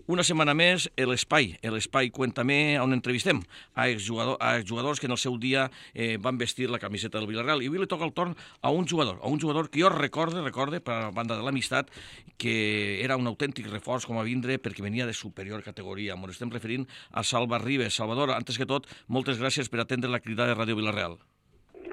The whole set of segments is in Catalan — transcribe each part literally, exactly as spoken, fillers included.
Una setmana més, l'Espai, l'Espai Cuéntame, on entrevistem a exjugador, a exjugadors que en el seu dia eh, van vestir la camiseta del Villarreal. I avui li toca el torn a un jugador, a un jugador que jo recorde, recorde, per a banda de l'amistat, que era un autèntic reforç com a vindre perquè venia de superior categoria. Ens estem referint a Salva Ribes. Salvador, antes que tot, moltes gràcies per atendre la crida de Ràdio Villarreal.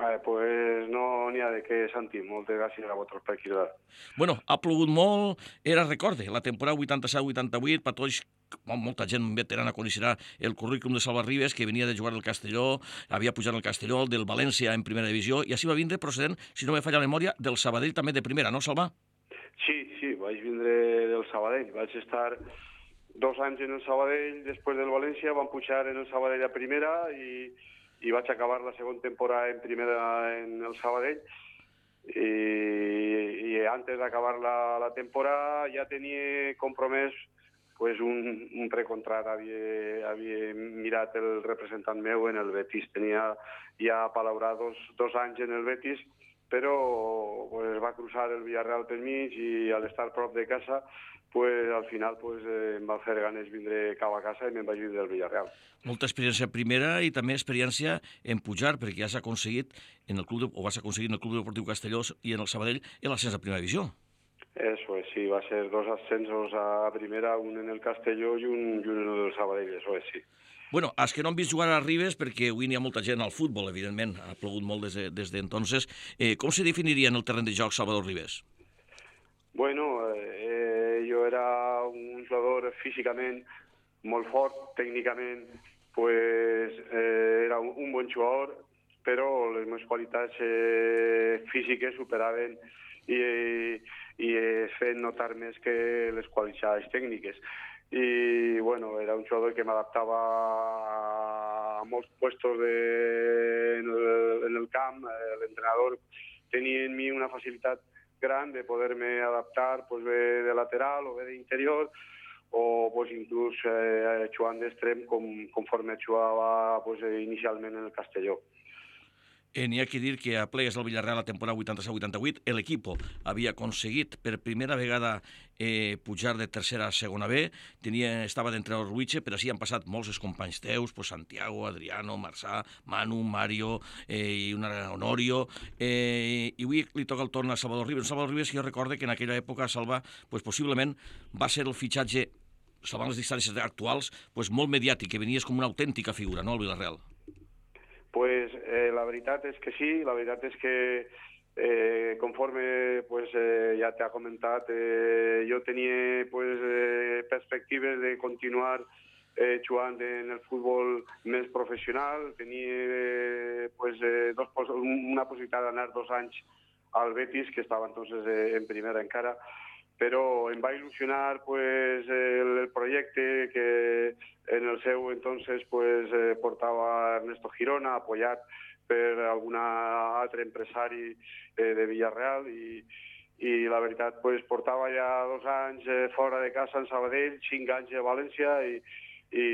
Eh, pues no n'hi ha de què, Santi. Moltes gràcies a vosaltres per cridar. Bueno, ha plogut molt, era, recorde, la temporada vuitanta-set vuitanta-vuit, per tots, molta gent veterana coneixerà el currículum de Salva Ribes, que venia de jugar al Castelló, havia pujat al Castelló, del València en primera divisió, i així va vindre procedent, si no me falla la memòria, del Sabadell també de primera, no, Salva? Sí, sí, vaig vindre del Sabadell. Vaig estar dos anys en el Sabadell, després del València, van pujar en el Sabadell a primera i, i vaig acabar la segona temporada en primera en el Sabadell. I, i antes d'acabar la, la temporada ja tenia compromès pues un, un precontrat, havia, havia mirat el representant meu en el Betis, tenia ja palaurat dos, dos anys en el Betis, però pues, va cruzar el Villarreal pel mig i al estar prop de casa pues, al final pues, eh, em va fer ganes vindre cap a casa i me'n vaig vindre del Villarreal. Molta experiència primera i també experiència en pujar, perquè ja s'ha aconseguit en el club de, o vas aconseguir en el Club Deportiu Castelló i en el Sabadell en l'ascens a primera divisió. Eso es, sí, va a ser dos ascensos a primera, un en el Castelló i un, i un en el Sabadell, eso es, sí. Bueno, els que no han vist jugar a Ribes, perquè avui n'hi ha molta gent al futbol, evidentment, ha plogut molt des, de, des d'entonces, eh, com se definiria en el terreny de joc Salvador Ribes? Bueno, eh, jo era un jugador físicament molt fort, tècnicament pues, eh, era un, un bon jugador, però les meves qualitats eh, físiques superaven i, i he fet notar més que les qualitats tècniques. I bueno, era un jugador que m'adaptava a molts puestos de, en, el, en el camp. L'entrenador tenia en mi una facilitat gran de poder-me adaptar pues, bé de lateral o bé d'interior o pues, inclús eh, jugant d'extrem com, conforme jugava pues, inicialment en el Castelló. Eh, N'hi ha que dir que a plegues del Villarreal la temporada vuitanta-set vuitanta-vuit l'equip havia aconseguit per primera vegada eh, pujar de tercera a segona B, tenia, estava d'entrenador Ruiche, però així han passat molts els companys teus, pues Santiago, Adriano, Marçà, Manu, Mario eh, i una Honorio, eh, i avui li toca el torn a Salvador Ribes. Salvador Ribes, jo recorde que en aquella època Salva, pues, possiblement va ser el fitxatge, salvant les distàncies actuals, pues, molt mediàtic, que venies com una autèntica figura, no, al Villarreal? Pues eh, la veritat és que sí, la veritat és que eh, conforme pues, eh, ja t'ha comentat, eh, jo tenia pues, eh, perspectives de continuar eh, jugant en el futbol més professional, tenia eh, pues, eh, dos, una possibilitat d'anar dos anys al Betis, que estava entonces eh, en primera encara, però em va il·lusionar pues, el, el projecte que en el seu entonces pues, eh, portava Ernesto Girona, apoyat per algun altre empresari eh, de Villarreal i, i la veritat pues, portava ja dos anys eh, fora de casa en Sabadell, cinc anys a València i, i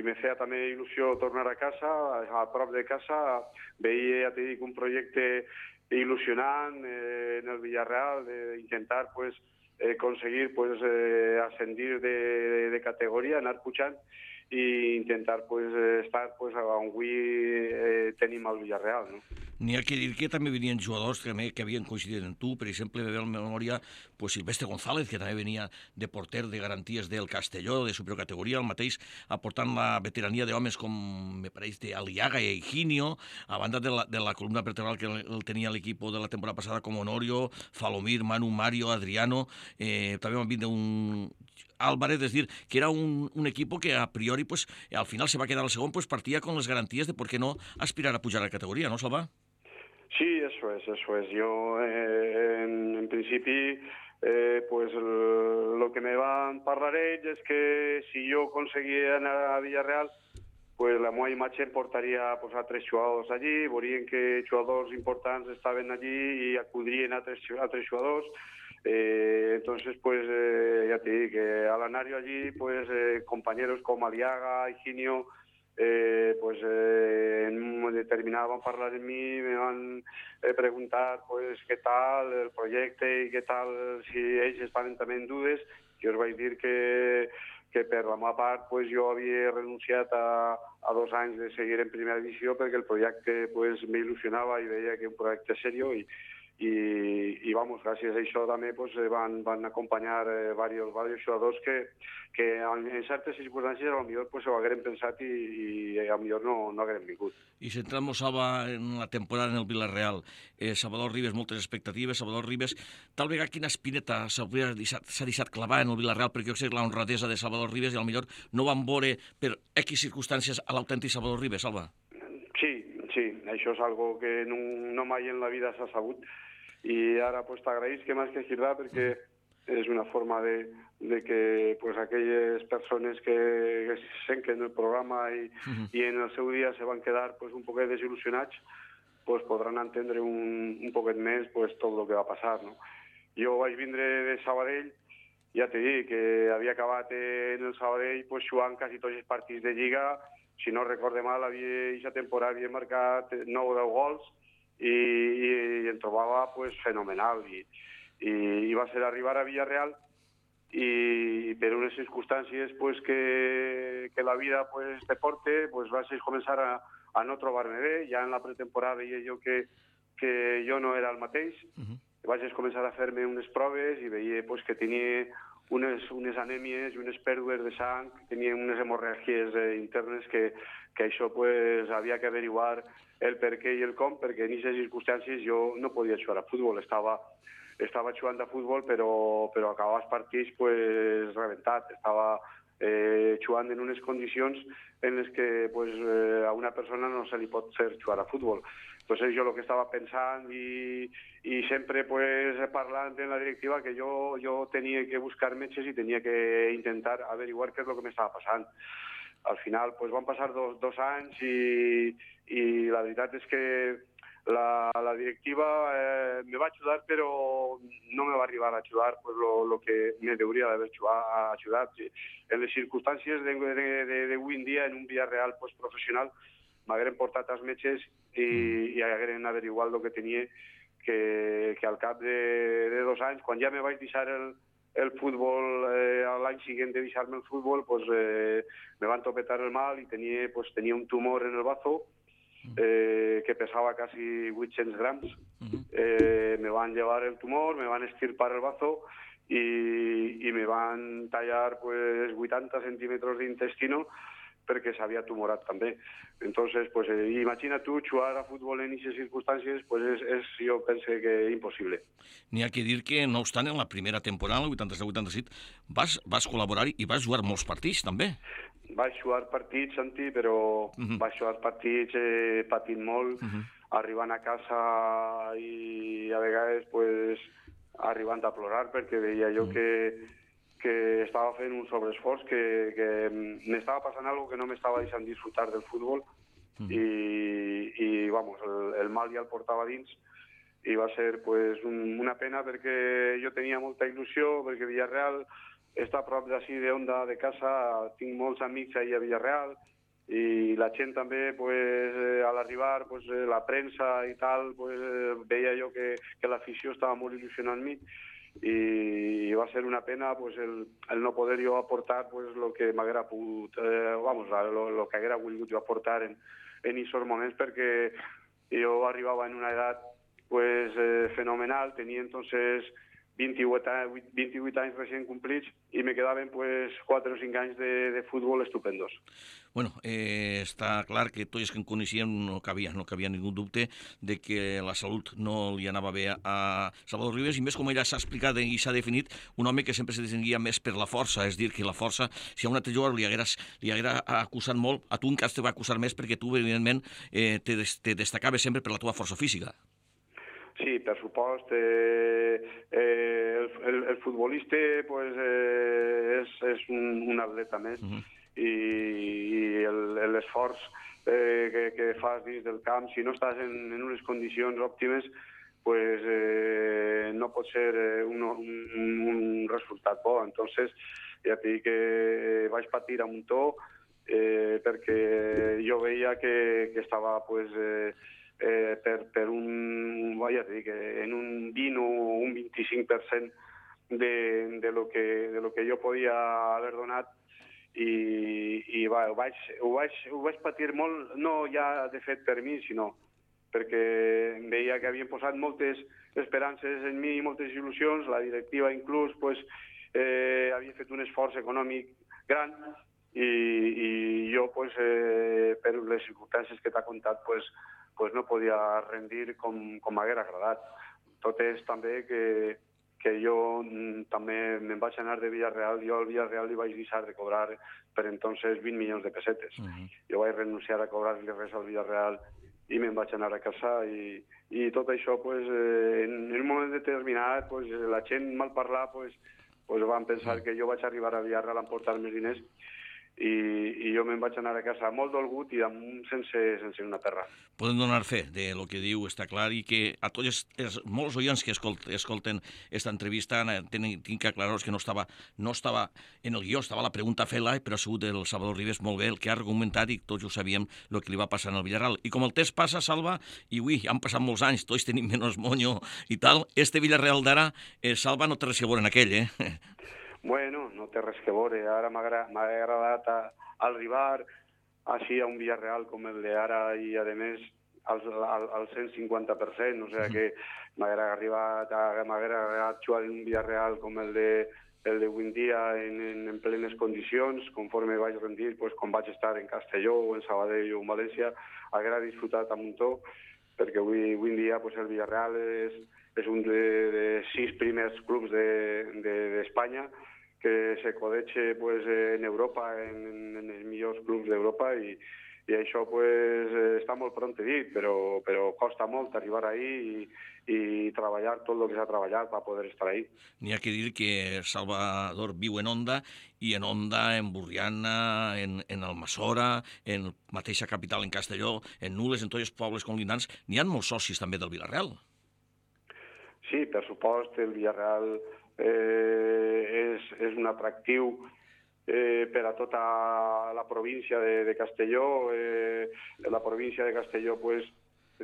me feia també il·lusió tornar a casa, a prop de casa, veia, ja t'he dit, un projecte il·lusionant eh, en el Villarreal, d'intentar pues, Eh, conseguir pues, eh, ascendir de, de, de categoria, anar pujant i intentar pues, estar pues, on avui eh, tenim al Villarreal. No? N'hi ha que dir que també venien jugadors que, també, que havien coincidit en tu, per exemple, me ve a la memòria pues, Silvestre González, que també venia de porter de garanties del Castelló, de superior categoria, el mateix aportant la veterania d'homes com, me pareix, d'Aliaga i Higinio, a banda de la, de la columna vertebral que el, el tenia l'equip de la temporada passada com Honorio, Falomir, Manu, Mario, Adriano, eh, també van vindre un Álvarez, es decir, que era un, un equipo que a priori, pues, al final se va a quedar al segon, pues partía con las garantías de por qué no aspirar a pujar a categoría, ¿no, Salva? Sí, eso es, eso es. Yo, eh, en, en principi, eh, pues el, lo que me van parlar ells és que si jo conseguia anar a Villarreal, pues la meva imatge em portaria pues, a tres jugadors allí, veurien que jugadors importants estaven allí i acudrien a tres, a tres jugadors. Eh, entonces, pues, eh, ya te digo que al anar yo allí, pues, eh, compañeros como Aliaga, Higinio, eh, pues, eh, en un determinado van a hablar en mí, me van a preguntar, pues, qué tal el proyecto y qué tal, si ells estaven també en dudes. Jo us vaig dir que, que per la meva part pues, jo havia renunciat a, a dos anys de seguir en primera divisió perquè el projecte pues, m'il·lusionava i veia que un projecte seriós i, i, i vamos, gràcies a això també pues, van, van acompanyar eh, diversos, diversos jugadors que, que en, en certes circumstàncies potser pues, ho hagueren pensat i, i potser no, no hagueren vingut. I centrant-nos, Salva, en la temporada en el Villarreal, eh, Salvador Ribes, moltes expectatives, Salvador Ribes, tal vegada quina espineta s'ha deixat, deixat clavar en el Villarreal, perquè jo sé la honradesa de Salvador Ribes i potser no van veure per X circumstàncies a l'autèntic Salvador Ribes, Salva. Sí, sí, això és algo que no, no mai en la vida s'ha sabut i ara pues, t'agraïs que m'has que girar perquè és una forma de, de que pues, aquelles persones que, que senquen el programa i, uh-huh. i en el seu dia se van quedar pues, un poquet desil·lusionats pues, podran entendre un, un poquet més pues, tot el que va passar. No? Jo vaig vindre de Sabadell, ja t'he dit que havia acabat en el Sabadell pues, jugant quasi tots els partits de Lliga, si no recorde mal, aquesta temporada havia marcat nou o deu gols i, i, i em trobava pues, fenomenal i, i, i va ser arribar a Villarreal i per unes circumstàncies pues, que, que la vida pues, te porte pues, vaig començar a, a no trobar-me bé. Ja en la pretemporada veia jo que, que jo no era el mateix. Uh-huh. Vaig començar a fer-me unes proves i veia pues, que tenia unes, unes anèmies i unes pèrdues de sang, tenia unes hemorràgies eh, internes que, que això pues, havia que averiguar el per què i el com, perquè en aquestes circumstàncies jo no podia jugar a futbol, estava, estava jugant a futbol però, però acabava els partits pues, rebentat, estava eh, jugant en unes condicions en les que pues, eh, a una persona no se li pot fer jugar a futbol. Entonces jo el que estava pensant i, i sempre pues, parlant en la directiva que jo, jo tenia que buscar metges i tenia que intentar averiguar què és el que m'estava passant. Al final pues, van passar dos, dos anys i, i la veritat és que la, la directiva eh, me va ajudar però no me va arribar a ajudar pues, lo, lo que me hauria d'haver ajudat. En les circumstàncies d'avui en dia en un Villarreal pues, professional m'hagueren portat als metges i, i hagueren averiguat el que tenia que, que al cap de, de dos anys, quan ja me vaig deixar el, el futbol, eh, l'any següent de deixar-me el futbol, pues, eh, me van topetar el mal i tenia, pues, tenia un tumor en el bazo eh, que pesava quasi vuit-cents grams. Eh, me van llevar el tumor, me van estirpar el bazo i, i me van tallar pues, vuitanta centímetres d'intestino perquè s'havia tumorat també. Entonces, pues, eh, imagina tu jugar a futbol en aquestes circumstàncies, pues és, és, jo penso que impossible. N'hi ha que dir que, no obstant, en la primera temporada, el vuitanta-set vuitanta-set, vas, vas col·laborar i vas jugar molts partits, també. Vaig jugar partits, Santi, però uh-huh. vaig jugar partits eh, patint molt, uh-huh. arribant a casa i a vegades pues, arribant a plorar perquè veia jo uh-huh. que que estava fent un sobreesforç, que, que m'estava passant alguna cosa que no m'estava deixant disfrutar del futbol mm. i, i vamos, el, el mal ja el portava dins i va ser pues, un, una pena perquè jo tenia molta il·lusió, perquè Villarreal està a prop d'ací d'Onda de casa, tinc molts amics ahí a Villarreal i la gent també, pues, a l'arribar, pues, la premsa i tal, pues, veia jo que, que l'afició estava molt il·lusionant amb mi i va ser una pena pues, el, el no poder jo aportar pues, lo que m'haguera pogut, eh, vamos, lo, lo que haguera volgut jo aportar en en aquests moments perquè jo arribava en una edat pues, eh, fenomenal, tenia entonces vint-i-vuit, vint-i-vuit anys recient complits i me quedaven pues, quatre o cinc anys de, de futbol estupendos. Bueno, eh, està clar que tots els que en coneixíem no cabia, no cabia ningú dubte de que la salut no li anava bé a Salvador Ribes i més com ella s'ha explicat i s'ha definit un home que sempre se distinguia més per la força, és dir, que la força, si a un altre jugador li haguera, li haguera acusat molt, a tu en cas te va acusar més perquè tu, evidentment, eh, te, te destacaves sempre per la teva força física. Sí, per supost. Eh, eh, el, el, el futbolista pues, eh, és, és un, un atleta més uh-huh. i, i l'esforç eh, que, que fas dins del camp, si no estàs en, en unes condicions òptimes, pues, eh, no pot ser un, un, un resultat bo. Entonces, ja t'he dit que vaig patir a muntó eh, perquè jo veia que, que estava pues, eh, Eh, per, per un, vaja, dic, en un vint o un vint-i-cinc per cent de, de, lo que, de lo que jo podia haver donat i, i va, ho, vaig, ho, vaig, ho vaig patir molt, no ja de fet per mi, sinó perquè veia que havien posat moltes esperances en mi, moltes il·lusions, la directiva inclús pues, eh, havia fet un esforç econòmic gran i, i jo pues, eh, per les circumstàncies que t'ha contat pues, pues no podia rendir com, com m'haguera agradat. Tot és també que, que jo també me'n vaig anar de Villarreal, jo al Villarreal li vaig deixar de cobrar per entonces vint milions de pessetes. Uh-huh. Jo vaig renunciar a cobrar-li res al Villarreal i me'n vaig anar a casa i, i tot això pues, eh, en, en un moment determinat pues, la gent mal parlar pues, pues, van pensar que jo vaig arribar a Villarreal a emportar més diners i, i jo me'n vaig anar a casa molt dolgut i damunt sense, sense una terra. Podem donar fe de lo que diu, està clar, i que a tots els, els molts oients que escolten, escolten esta entrevista tenen, tinc que aclarar que no estava, no estava en el guió, estava la pregunta fela, però ha sigut el Salvador Ribes molt bé el que ha argumentat i tots ho sabíem el que li va passar en el Villarreal. I com el temps passa, Salva, i ui, han passat molts anys, tots tenim menys moño i tal, este Villarreal d'ara, eh, Salva, no té res a veure en aquell, eh? Bueno, no té res que veure. Ara m'ha agradat arribar així a un Villarreal com el d'ara i, a més, al, al, al cent cinquanta per cent. O sigui que m'haguera arribat, m'haguera agradat jugar en un Villarreal com el de el d'avui en dia en, en, en plenes condicions, conforme vaig rendir, pues, com vaig estar en Castelló o en Sabadell o en València, haguera disfrutat a muntó, perquè avui, avui en dia pues, el Villarreal és, és un de, de sis primers clubs d'Espanya, de, de que se codeche pues, en Europa, en, en els millors clubs d'Europa, i, i això pues, està molt pront dit, però, però costa molt arribar ahí i, i treballar tot el que s'ha treballat per poder estar ahí. N'hi ha que dir que Salvador viu en Onda, i en Onda, en Burriana, en, en Almassora, en mateixa capital, en Castelló, en Nules, en tots els pobles conglindants, n'hi ha molts socis també del Villarreal. Sí, per supost, el Villarreal Eh, és, és un atractiu eh, per a tota la província de, de Castelló. Eh, la província de Castelló pues,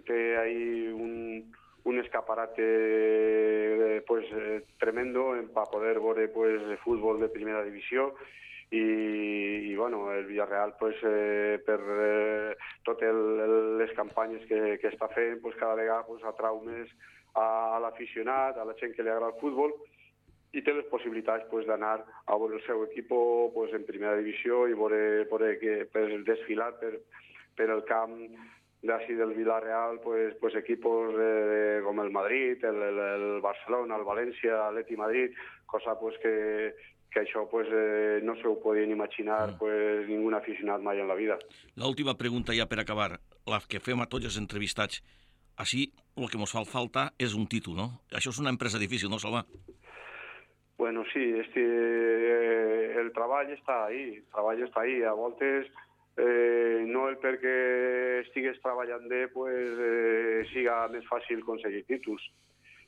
té ahí un, un escaparate eh, pues, eh, tremendo para poder veure pues, fútbol de primera divisió. I, i bueno, el Villarreal pues, eh, per eh, totes les campanyes que, que està fent pues, cada vegada pues, atrau més a, a l'aficionat, a la gent que li agrada el futbol, i té les possibilitats pues, d'anar a veure el seu equip pues, en primera divisió i veure, veure que, per desfilar per, per el camp d'ací del Villarreal pues, pues, equipos eh, com el Madrid, el, el, el Barcelona, el València, l'Atleti Madrid, cosa pues, que, que això pues, eh, no se ho podien imaginar pues, ningú aficionat mai en la vida. L'última pregunta ja per acabar, la que fem a tots els entrevistats. Així, el que ens fa falta és un títol, no? Això és una empresa difícil, no, Salva? Bueno, sí, este, eh, el treball està ahí, el treball està ahí. A voltes, eh, no el perquè estigues treballant bé, pues, eh, siga més fàcil aconseguir títols.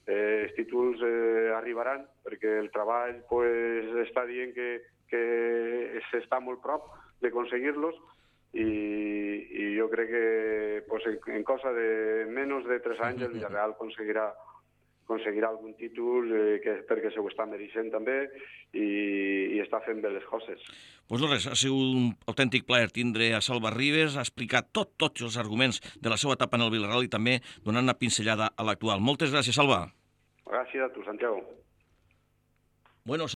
Eh, els títols eh, arribaran, perquè el treball pues, està dient que, que s'està molt prop d'aconseguir-los, i, i jo crec que pues, en, en cosa de menys de tres anys el Villarreal aconseguirà aconseguirà algun títol eh, que, perquè se ho està mereixent també i, i està fent bé les coses. Doncs pues no res, ha sigut un autèntic plaer tindre a Salva Ribes, ha explicat tot, tots els arguments de la seva etapa en el Villarreal i també donant una pinzellada a l'actual. Moltes gràcies, Salva. Gràcies a tu, Santiago. Bueno,